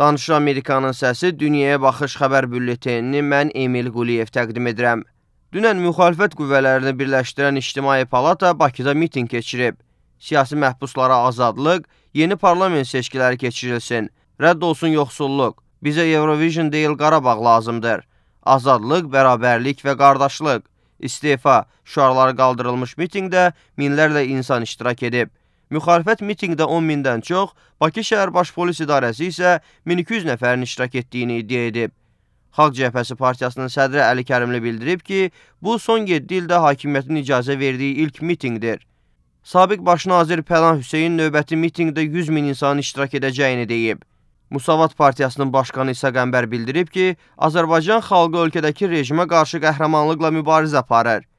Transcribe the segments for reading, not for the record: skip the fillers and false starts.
Danışır Amerikanın səsi Dünyaya Baxış xəbər bülletenini mən Emil Quliyev təqdim edirəm. Dünən müxalifət qüvvələrini birləşdirən İctimai Palata Bakıda miting keçirib. Siyasi məhbuslara azadlıq, yeni parlament seçkiləri keçirilsin, rədd olsun yoxsulluq, bizə Eurovision deyil Qarabağ lazımdır, azadlıq, bərabərlik və qardaşlıq, istefa şüarları qaldırılmış mitingdə minlərlə insan iştirak edib. Müxalifət mitingdə 10 mindən çox, Bakı şəhər baş polis idarəsi isə 1200 nəfərin iştirak etdiyini iddia edib. Xalq Cəbhəsi Partiyasının sədri Əli Kərimli bildirib ki, bu son 7 ildə hakimiyyətin icazə verdiyi ilk mitingdir. Sabiq baş nazir Pənah Hüseyin növbəti mitingdə 100 min insanın iştirak edəcəyini deyib. Musavat Partiyasının başqanı İsa Qəmbər bildirib ki, Azərbaycan xalqı ölkədəki rejimə qarşı qəhrəmanlıqla mübarizə aparır.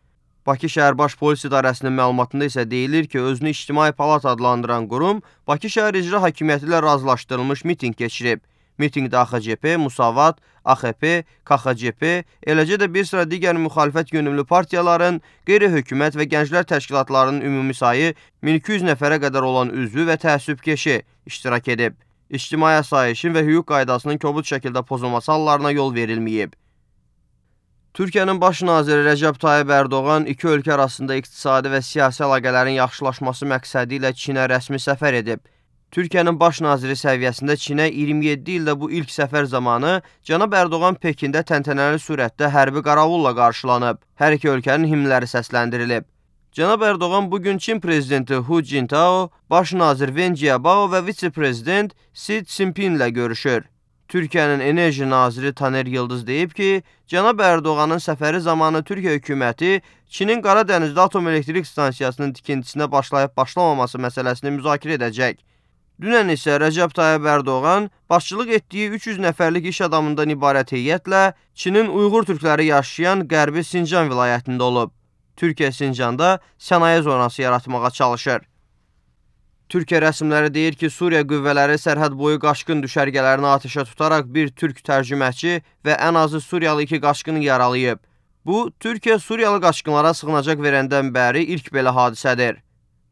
Bakı şəhər baş polis idarəsinin məlumatında isə deyilir ki, özünü İctimai Palat adlandıran qurum Bakı şəhər icra hakimiyyəti ilə razılaşdırılmış miting keçirib. Mitingdə AXCP, Musavat, AXP, KXCP, eləcə də bir sıra digər müxalifət yönümlü partiyaların, qeyri-hökumət və gənclər təşkilatlarının ümumi sayı 1200 nəfərə qədər olan üzvü və təəssübkeşi iştirak edib. İctimai asayişin və hüquq qaydasının kobud şəkildə pozulması hallarına yol verilməyib. Türkiyənin baş naziri Rəcəb Tayyib Ərdoğan iki ölkə arasında iqtisadi və siyasi əlaqələrin yaxşılaşması məqsədi ilə Çinə rəsmi səfər edib. Türkiyənin baş naziri səviyyəsində Çinə 27 ildə bu ilk səfər zamanı cənab Ərdoğan Pekində təntənəli surətdə hərbi qaravulla qarşılanıb. Hər iki ölkənin himnləri səsləndirilib. Cənab Ərdoğan bugün Çin prezidenti Hu Jintao, baş nazir Wen Jiabao və vitse-prezident Xi Jinping ilə görüşür. Türkiyənin enerji naziri Taner Yıldız deyib ki, cənab Ərdoğanın səfəri zamanı Türkiyə hökuməti Çinin Qara Dənizdə atom elektrik stansiyasının tikintisinə başlayıb-başlamaması məsələsini müzakirə edəcək. Dünən isə Rəcəb Tayyib Ərdoğan başçılıq etdiyi 300 nəfərlik iş adamından ibarət heyətlə Çinin Uyğur türkləri yaşayan Qərbi Sincan vilayətində olub. Türkiyə Sincanda sənaye zonası yaratmağa çalışır. Türkiyə rəsmiləri deyir ki, Suriya qüvvələri sərhəd boyu qaçqın düşərgələrini atəşə tutaraq bir türk tərcüməçi və ən azı Suriyalı 2 qaçqını yaralayıb. Bu, Türkiyə Suriyalı qaçqınlara sığınacaq verəndən bəri ilk belə hadisədir.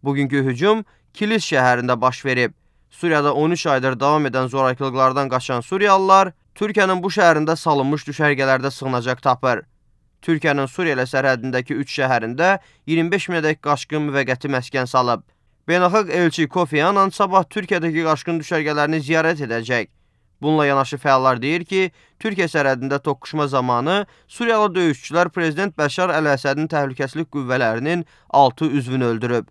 Bugünkü hücum Kilis şəhərində baş verib. Suriyada 13 aydır davam edən zorakılıqlardan qaçan Suriyalılar Türkiyənin bu şəhərində salınmış düşərgələrdə sığınacaq tapır. Türkiyənin Suriya ilə sərhədindəki 3 şəhərində 25 minədək qaçqın müvəqqəti məskən salıb. Beynəlxalq elçi Kofi Annan sabah Türkiyədəki qaçqın düşərgələrini ziyarət edəcək. Bununla yanaşı fəallar deyir ki, Türkiyə sərhədində toqquşma zamanı Suriyalı döyüşçülər Prezident Bəşar Əl-Əsədin təhlükəsizlik qüvvələrinin 6 üzvünü öldürüb.